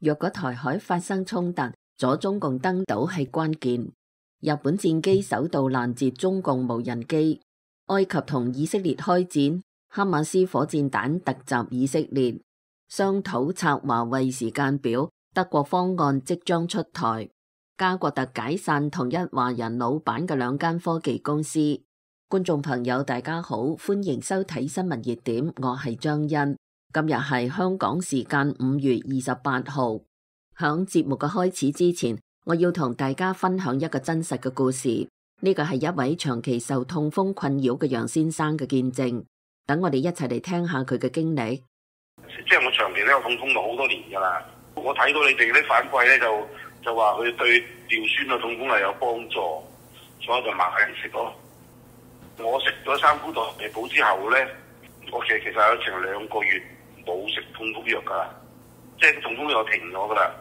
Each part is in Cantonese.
若果台海發生衝突，阻中共登島係關鍵。日本戰機首度攔截中共無人機。埃及同以色列開戰，哈馬斯火箭彈突襲以色列。商討策華為時間表，德國方案即將出台。加國特解散同一華人老闆嘅兩間科技公司。觀眾朋友大家好，歡迎收睇新聞熱點，我係張欣。今日係香港時間5月28號。響節目嘅開始之前，我要同大家分享一個真實嘅故事。呢個係一位長期受痛風困擾嘅楊先生嘅見證。等我哋一齊嚟聽下佢嘅經歷。即係我長期都有痛風咗好多年㗎啦。我睇到你哋啲反饋咧，就話佢對尿酸嘅痛風係有幫助，所以就買嚟食咯。我食咗三菇代謝補之後咧，我其實有成2個月冇食痛風藥㗎啦，即係痛風藥停咗㗎啦。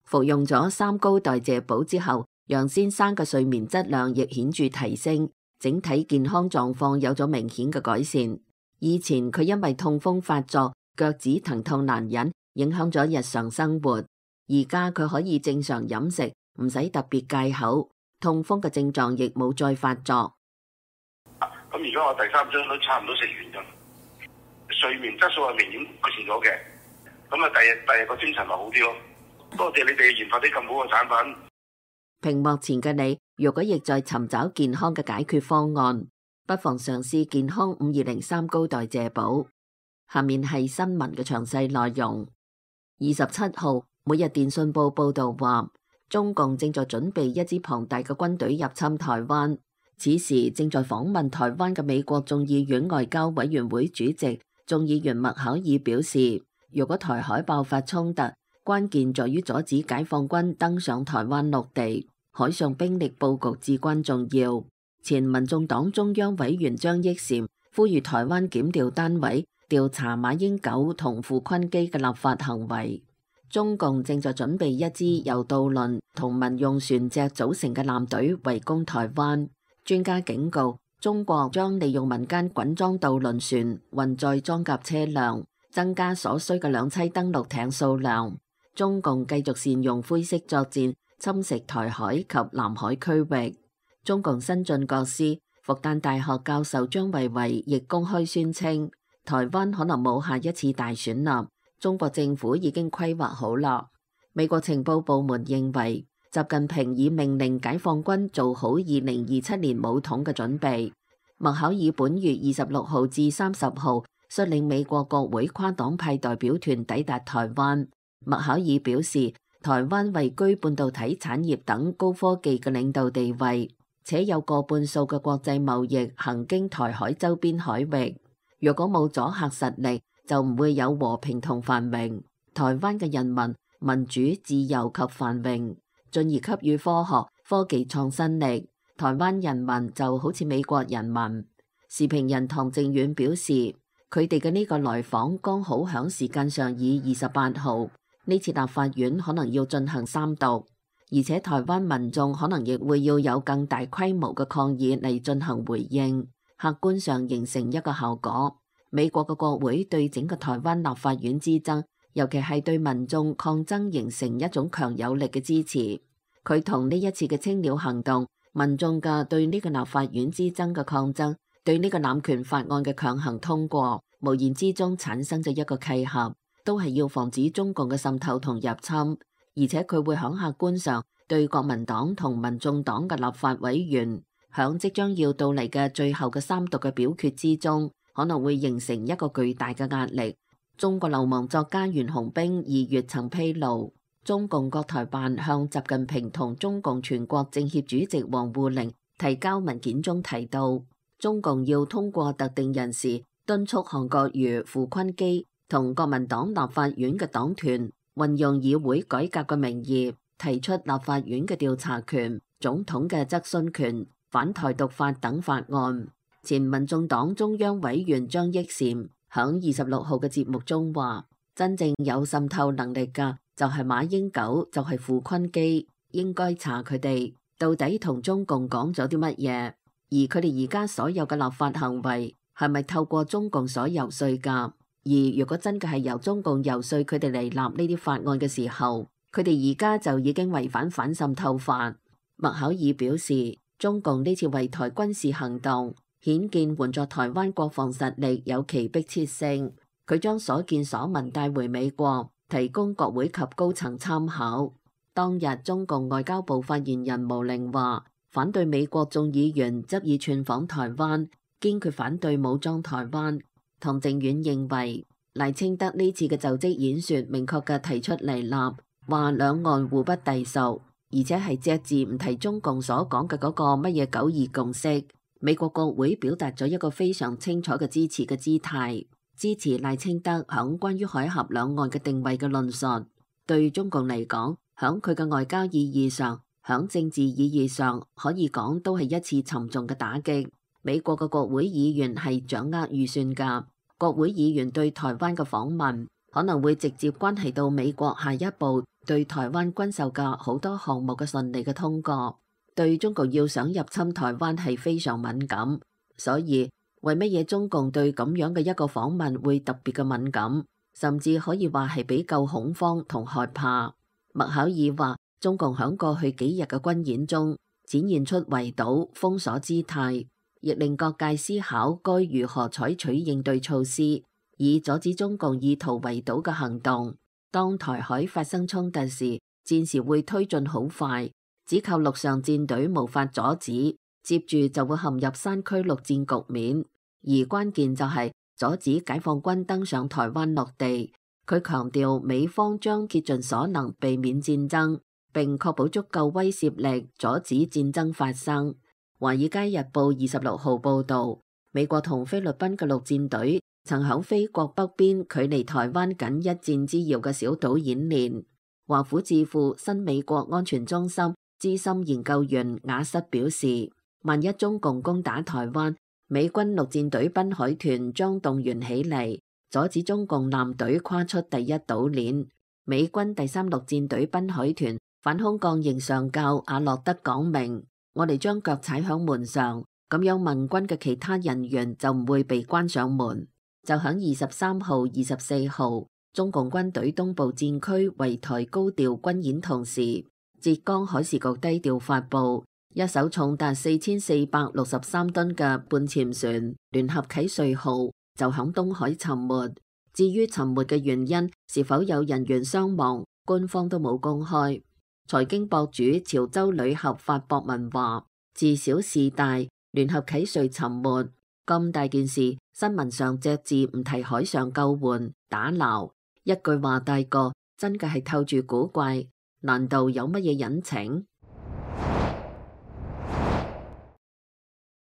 服用咗三高代謝補之後，楊先生嘅睡眠質量亦顯著提升，整體健康狀況有咗明顯嘅改善。以前佢因為痛風發作，腳趾疼痛難忍，影響咗日常生活。而家佢可以正常飲食，唔使特別戒口，痛風嘅症狀亦冇再發作。咁而家我第3針都差唔多食完㗎，睡眠質素係明顯改善咗嘅。咁啊，第日個精神咪好啲咯。多謝你哋研發啲咁好嘅產品。屏幕前嘅你，如果亦在尋找健康嘅解決方案，不妨嘗試健康520三高代謝補。下面係新聞嘅詳細內容。27號，每日電訊報報道話，中共正在準備一支龐大嘅軍隊入侵台灣。此時正在訪問台灣嘅美國眾議院外交委員會主席眾議員麥考爾表示，如果台海爆發衝突，關鍵在於阻止解放軍登上台灣陸地，海上兵力佈局至關重要。前民眾黨中央委員張益善呼籲台灣檢調單位調查馬英九同傅昆基嘅立法行為。中共正在準備一支由渡輪同民用船隻組成嘅艦隊圍攻台灣。專家警告，中國將利用民間滾裝渡輪船運載裝甲車輛，增加所需嘅兩棲登陸艇數量。中共繼續善用灰色作戰，侵蝕台海及南海區域。中共新晉國師、復旦大學教授張維為亦公開宣稱，台灣可能冇下一次大選啦，中國政府已經規劃好啦。美國情報部門認為，習近平已命令解放軍做好2027年武統嘅準備。麥考爾本月26號至30號率領美國國會跨黨派代表團抵達台灣。麥考爾表示，台灣位居半導體產業等高科技嘅領導地位，且有過半數嘅國際貿易行經台海周邊海域。若果冇阻嚇實力，就唔會有和平同繁榮。台灣嘅人民民主、自由及繁榮，進而給予科學、科技創新力。台灣人民就好似美國人民。時評人唐靖遠表示，佢哋嘅呢個來訪剛好響時間上以28號。呢次立法院可能要進行三讀，而且台灣民眾可能亦會要有更大規模嘅抗議嚟進行回應，客觀上形成一個效果。美國嘅國會對整個台灣立法院之爭，尤其係對民眾抗爭形成一種強有力嘅支持。佢同呢一次嘅青鳥行動，民眾嘅對呢個立法院之爭嘅抗爭，對呢個濫權法案嘅強行通過，無言之中產生咗一個契合。都係要防止中共嘅滲透同入侵，而且佢會響客觀上對國民黨同民眾黨嘅立法委員響即將要到嚟嘅最後嘅三讀嘅表決之中，可能會形成一個巨大嘅壓力。中國流氓作家袁洪兵2月曾披露，中共國台辦向習近平同中共全國政協主席王滬寧提交文件中提到，中共要通過特定人士敦促韓國瑜、傅昆基同國民黨立法院嘅黨團運用議會改革嘅名義，提出立法院嘅調查權、總統嘅質詢權、反台獨法等法案。前民眾黨中央委員張益善響26號嘅節目中話，真正有滲透能力嘅就係馬英九，就係傅昆基，應該查佢哋到底同中共講咗啲乜嘢，而佢哋而家所有嘅立法行為係咪透過中共所遊說㗎？而如果真嘅係由中共遊說佢哋嚟立呢啲法案嘅時候，佢哋而家就已經違反反滲透法。麥考爾表示，中共呢次圍台軍事行動顯見援助台灣國防實力有其迫切性。佢將所見所聞帶回美國，提供國會及高層參考。當日中共外交部發言人毛寧話，反對美國眾議員執意竄訪台灣，堅決反對武裝台灣。唐靖遠認為，賴清德呢次嘅就職演說明確嘅提出嚟立，話兩岸互不隸屬，而且係隻字唔提中共所講嘅嗰個乜嘢九二共識。美國國會表達咗一個非常清楚嘅支持嘅姿態，支持賴清德響關於海峽兩岸嘅定位嘅論述。對中共嚟講，響佢嘅外交意義上，響政治意義上，可以講都係一次沉重嘅打擊。美國嘅國會議員係掌握預算㗎，國會議員對台灣嘅訪問可能會直接關係到美國下一步對台灣軍售嘅好多項目嘅順利嘅通過。對中共要想入侵台灣係非常敏感，所以為乜嘢中共對咁樣嘅一個訪問會特別嘅敏感，甚至可以話係比較恐慌同害怕。麥考爾話，中共響過去幾日嘅軍演中展現出圍堵封鎖姿態，亦令各界思考該如何採取應對措施，以阻止中共意圖圍堵嘅行動。當台海發生衝突時，戰時會推進好快，只靠陸上戰隊無法阻止，接住就會陷入山區陸戰局面。而關鍵就係阻止解放軍登上台灣落地。佢強調美方將竭盡所能避免戰爭，並確保足夠威懾力阻止戰爭發生。華爾街日報26號報導，美國同菲律賓嘅陸戰隊曾響菲國北邊距離台灣僅一箭之遙嘅小島演練。華府智庫新美國安全中心資深研究員雅瑟表示，萬一中共攻打台灣，美軍陸戰隊濱海團將動員起嚟，阻止中共艦隊跨出第一島鏈。美軍第3陸戰隊濱海團反空降營上校阿洛德講明，我哋將腳踩響門上，咁樣盟軍嘅其他人員就唔會被關上門。就響23號、24號，中共軍隊東部戰區圍台高調軍演同時，浙江海事局低調發布一艘重達4463噸嘅半潛船聯合啟瑞號就響東海沉沒。至於沉沒嘅原因是否有人員傷亡，官方都冇公開。財經博主潮州旅客發博文話，自小事大，聯合啟瑞沉沒咁大件事，新聞上隻字唔提海上救援打撈，一句話帶過，真嘅係透住古怪，難道有乜嘢隱情？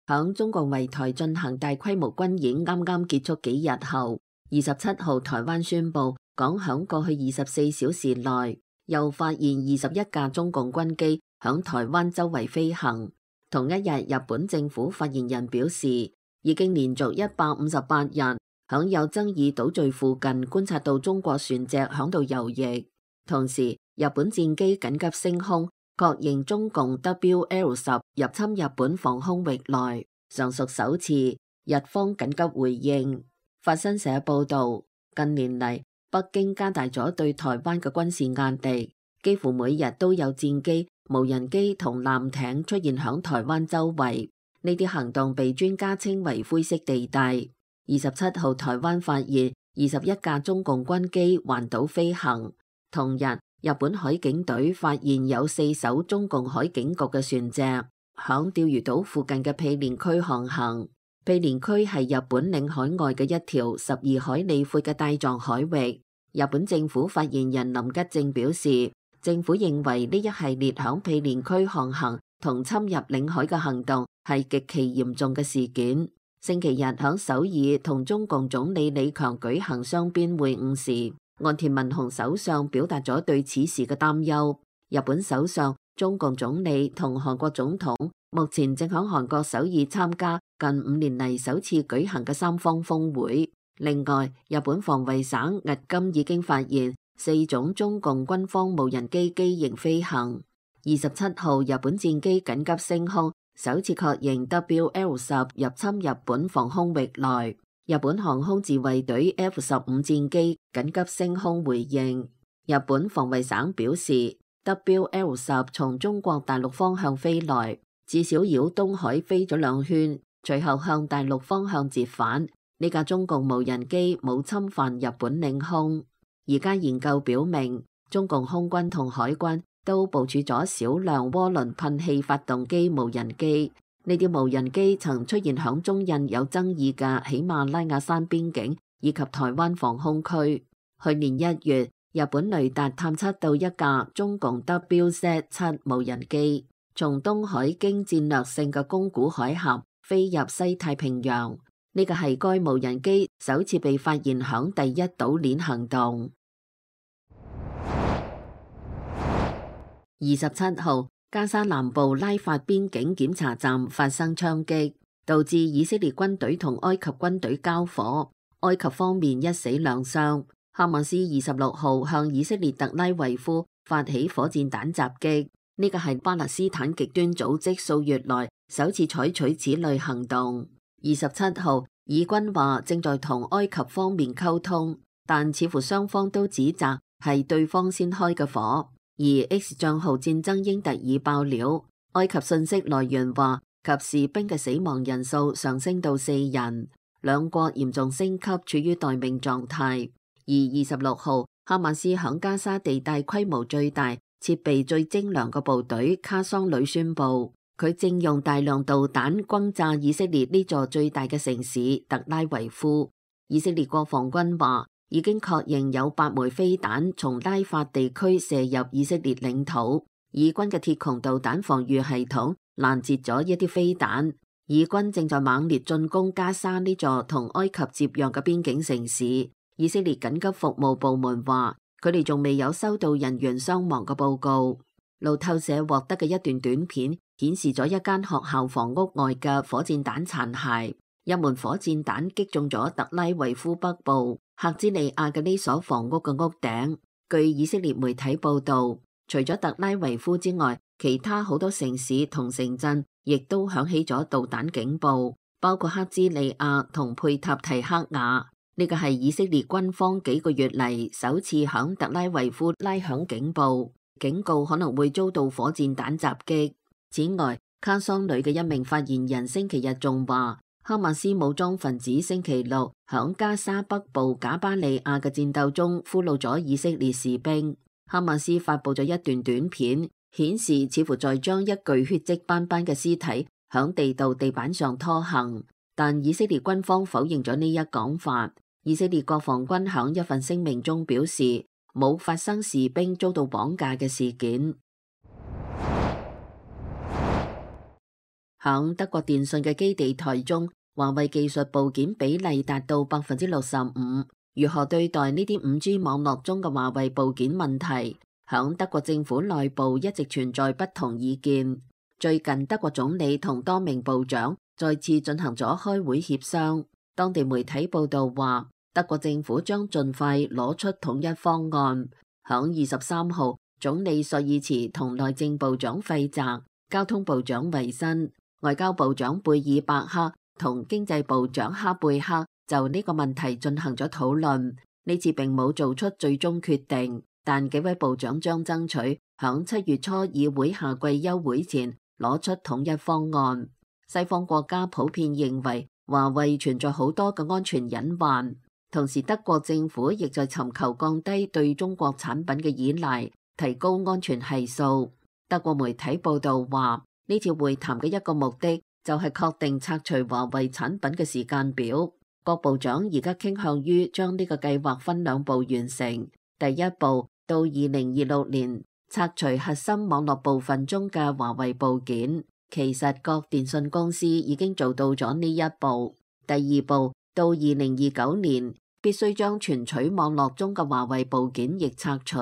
響中共圍台進行大規模軍演啱啱結束幾日後，27號台灣宣布講響過去24小時內又發現21架中共軍機響台灣周圍飛行。同一日，日本政府發言人表示，已經連續158日響有爭議島嶼附近觀察到中國船隻響度游弋。同時，日本戰機緊急升空，確認中共 WL10入侵日本防空域內，尚屬首次。日方緊急回應。法新社報道，近年嚟北京加大咗對台灣嘅軍事壓力，幾乎每日都有戰機、無人機同艦艇出現響台灣周圍。呢啲行動被專家稱為灰色地帶。27號台灣發現21架中共軍機環島飛行。同日，日本海警隊發現有4艘中共海警局嘅船隻響釣魚島附近嘅毗連區航行。毗連區係日本領海外嘅一條12海里闊嘅帶狀海域。日本政府發言人林吉正表示，政府認為呢一系列響毗連區航行同侵入領海嘅行動係極其嚴重嘅事件。星期日響首爾同中共總理李強舉行雙邊會晤時，岸田文雄首相表達咗對此事嘅擔憂。日本首相、中共總理同韓國總統目前正響韓國首爾參加近5年嚟首次舉行嘅三方峰會。另外，日本防衛省迄今已經發現4種中共軍方無人機機型飛行。27號，日本戰機緊急升空，首次確認 WL10入侵日本防空域內。日本航空自衛隊 F-15戰機緊急升空回應。日本防衛省表示 ，WL-10從中國大陸方向飛來，至少繞東海飛咗2圈，隨後向大陸方向折返。呢架中共無人機冇侵犯日本領空。而家研究表明，中共空軍同海軍都部署咗少量渦輪噴氣發動機無人機。呢啲無人機曾出現響中印有爭議嘅喜馬拉雅山邊境以及台灣防空區。去年1月，日本雷達探測到一架中共 WZ-7 無人機，從東海經戰略性嘅宮古海峽飛入西太平洋。呢個係該無人機首次被發現響第一島鏈行動。27號，加沙南部拉法邊境檢查站發生槍擊，導致以色列軍隊同埃及軍隊交火，埃及方面1死2傷。哈馬斯26號向以色列特拉維夫發起火箭彈襲擊，呢個係巴勒斯坦極端組織數月來首次採取此類行動。27號，以軍話正在同埃及方面溝通，但似乎雙方都指責係對方先開嘅火。而 X 帳號戰爭英特爾爆料，埃及信息來源話及士兵嘅死亡人數上升到4人，兩國嚴重升級，處於待命狀態。而26號，哈馬斯響加沙地帶規模最大、設備最精良嘅部隊卡桑旅宣布，佢正用大量導彈轟炸以色列呢座最大嘅城市特拉維夫。以色列國防軍話，已經確認有8枚飛彈從拉法地區射入以色列領土，以軍嘅鐵穹導彈防禦系統攔截咗一啲飛彈。以軍正在猛烈進攻加沙呢座同埃及接壤嘅邊境城市。以色列緊急服務部門話，佢哋仲未有收到人員傷亡嘅報告。路透社獲得嘅一段短片顯示咗一間學校房屋外嘅火箭彈殘骸，一門火箭彈擊中咗特拉維夫北部赫茲利亞嘅呢所房屋嘅屋頂。據以色列媒體報道，除咗特拉維夫之外，其他好多城市同城鎮亦都響起咗導彈警報，包括赫茲利亞同佩塔提克瓦。呢個係以色列軍方幾個月嚟首次響特拉維夫拉響警報，警告可能會遭到火箭彈襲擊。此外，卡桑旅嘅一名發言人星期日仲話，哈馬斯武裝分子星期六響加沙北部賈巴利亞嘅戰鬥中俘虜咗以色列士兵。哈馬斯發佈咗一段短片，顯示似乎在將一具血跡斑斑嘅屍體響地道地板上拖行，但以色列軍方否認咗呢一講法。以色列國防軍響一份聲明中表示，冇發生士兵遭到綁架嘅事件。響德國電信嘅基地台中，華為技術部件比例達到65%。如何對待呢啲5G 網絡中嘅華為部件問題，響德國政府內部一直存在不同意見。最近德國總理同多名部長再次進行咗開會協商。當地媒體報道話，德國政府將盡快攞出統一方案。響23號，總理朔爾茨同內政部長費澤、交通部長維新、外交部長貝爾伯克同經濟部長哈貝克就呢個問題進行咗討論。呢次並冇做出最終決定，但幾位部長將爭取響7月初議會夏季休會前攞出統一方案。西方國家普遍認為華為存在好多嘅安全隱患，同時德國政府亦在尋求降低對中國產品嘅依賴，提高安全係數。德國媒體報道話，呢次會談嘅一個目的就係確定拆除華為產品嘅時間表。各部長而家傾向於將呢個計劃分2步完成。第一步，到2026年拆除核心網絡部分中嘅華為部件。其實各電信公司已經做到咗呢一步。第二步，到2029年必須將存取網絡中嘅華為部件亦拆除。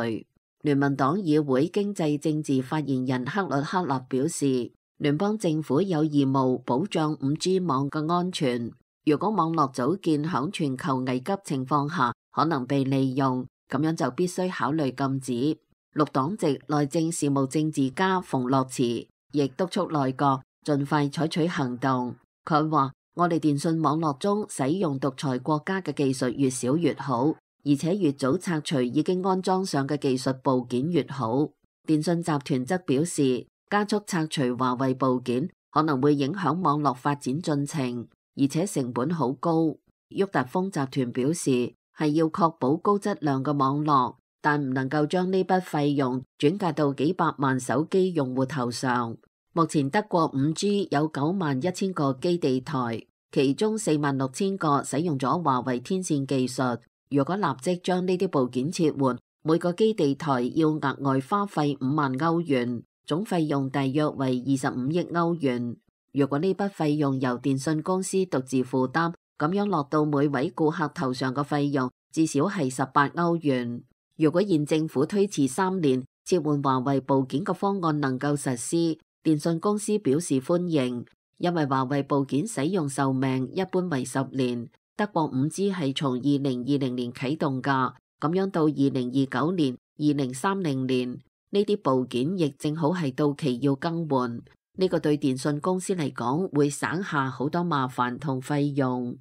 聯盟黨議會經濟政治發言人克律克納表示，聯邦政府有義務保障 5G 網嘅安全。如果網絡組件響全球危急情況下可能被利用，咁樣就必須考慮禁止。綠黨籍內政事務政治家馮諾茨亦督促內閣盡快採取行動。佢話我哋電信網絡中使用獨裁國家嘅技術越少越好，而且越早拆除已經安裝上嘅技術部件越好。電信集團則表示，加速拆除華為部件可能會影響網絡發展進程，而且成本好高。沃達豐集團表示，係要確保高質量嘅網絡，但唔能夠將呢筆費用轉嫁到幾百萬手機用戶頭上。目前德國 5G 有91000個基地台，其中46000個使用咗華為天線技術。如果立即將呢啲部件撤換，每個基地台要額外花費5萬歐元，總費用大約為25億歐元。如果呢筆費用由電信公司獨自負擔，咁樣落到每位顧客頭上嘅費用至少係18歐元。如果現政府推遲3年撤換華為部件嘅方案能夠實施，電信公司表示歡迎，因為華為部件使用壽命一般為10年。德國 5G 係從2020年啟動㗎，咁樣到2029年、2030年，呢啲部件亦正好係到期要更換。呢個對電信公司嚟講會省下好多麻煩同費用。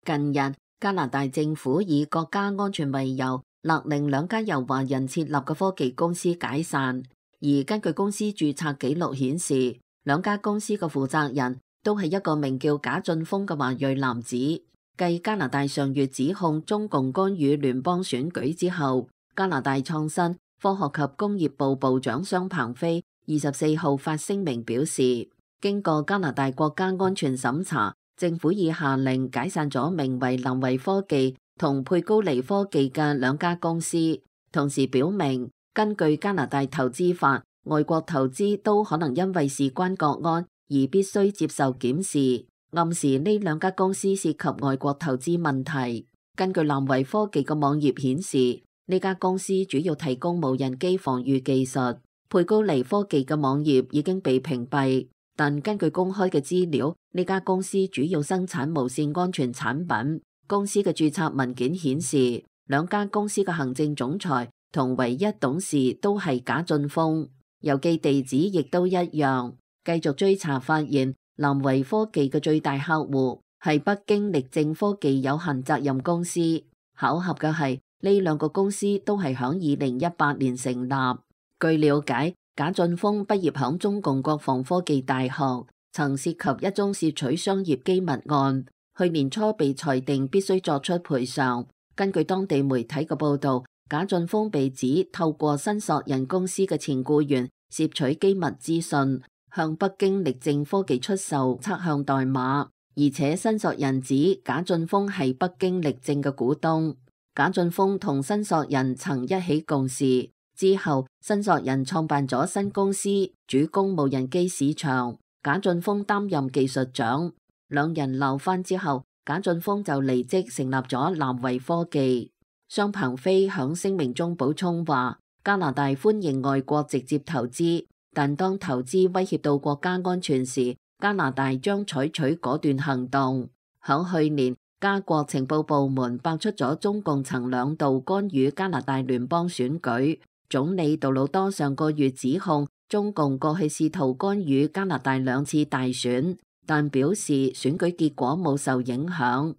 近日，加拿大政府以國家安全為由，勒令2家由華人設立嘅科技公司解散。而根據公司註冊記錄顯示，2家公司嘅負責人都係一個名叫賈俊峰嘅華裔男子。繼加拿大上月指控中共干預聯邦選舉之後，加拿大創新、科學及工業部部長商鵬飛24號發聲明表示，經過加拿大國家安全審查，政府已下令解散咗名為南維科技同佩高尼科技嘅2家公司，同時表明根據加拿大投資法，外國投資都可能因為事關國安而必須接受檢視，暗示呢2家公司涉及外國投資問題。根據南維科技嘅網頁顯示，呢家公司主要提供無人機防禦技術。佩高尼科技嘅網頁已經被屏蔽，但根據公開嘅資料，呢家公司主要生產無線安全產品。公司嘅註冊文件顯示，2家公司嘅行政總裁同唯一董事都係賈俊峰，郵寄地址亦都一樣。繼續追查發現，南維科技嘅最大客戶係北京力正科技有限責任公司。巧合嘅係，呢2個公司都係響2018年成立。據了解，賈俊峰畢業響中共國防科技大學，曾涉及一宗竊取商業機密案，去年初被裁定必須作出賠償。根據當地媒體嘅報道，賈俊峰被指透過新索人公司嘅前僱員竊取機密資訊，向北京力正科技出售測向代碼，而且新索人指賈俊峰係北京力正嘅股東。賈俊峰同新索人曾一起共事，之後新索人創辦咗新公司，主攻無人機市場。賈俊峰擔任技術長，2人鬧翻之後，賈俊峰就離職成立咗南維科技。商鵬飛響聲明中補充話，加拿大歡迎外國直接投資，但當投資威脅到國家安全時，加拿大將採取果斷行動。響去年，加國情報部門爆出咗中共曾2度干預加拿大聯邦選舉。總理杜魯多上個月指控中共過去試圖干預加拿大2次大選，但表示選舉結果冇受影響。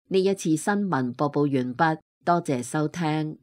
呢一次新聞播報完畢，多謝收聽。